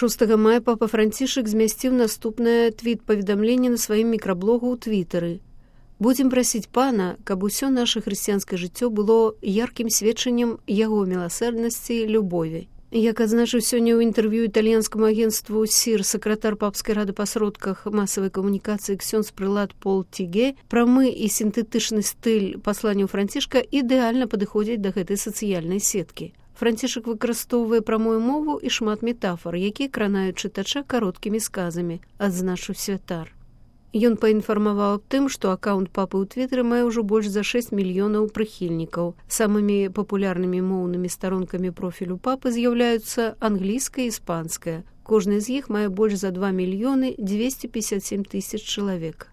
6 мая папа Францішак змясціў наступнае твіт-паведамленне на сваім мікраблогу ў Твітары. «Будзем прасіць Пана, каб усё наша хрысціянскае жыццё было яркім сведчаннем яго міласэрнасці і любові». Як адзначыў сёння ў інтэрв'ю італьянскаму агенцтву СІР сакратар папскай рады па сродках масавай камунікацыі ксёндз-прылад Пол Тіге, прамы і сінтэтычны стыль пасланняў Францішка ідэальна падыходзіць да гэтай сацыяльнай сеткі. Францішак выкарыстоўвае прамую мову і шмат метафор, якія кранаюць чытача кароткімі сказамі, адзначыў святар. Ён паінфармаваў аб тым, што акаунт папы ў Твітары мае ўжо больш за 6 мільёнаў прыхільнікаў. Самымі папулярнымі моўнымі старонкамі профілю папы з'яўляюцца англійская і іспанская. Кожны з іх мае больш за 2 мільёны 257 тысяч чалавек.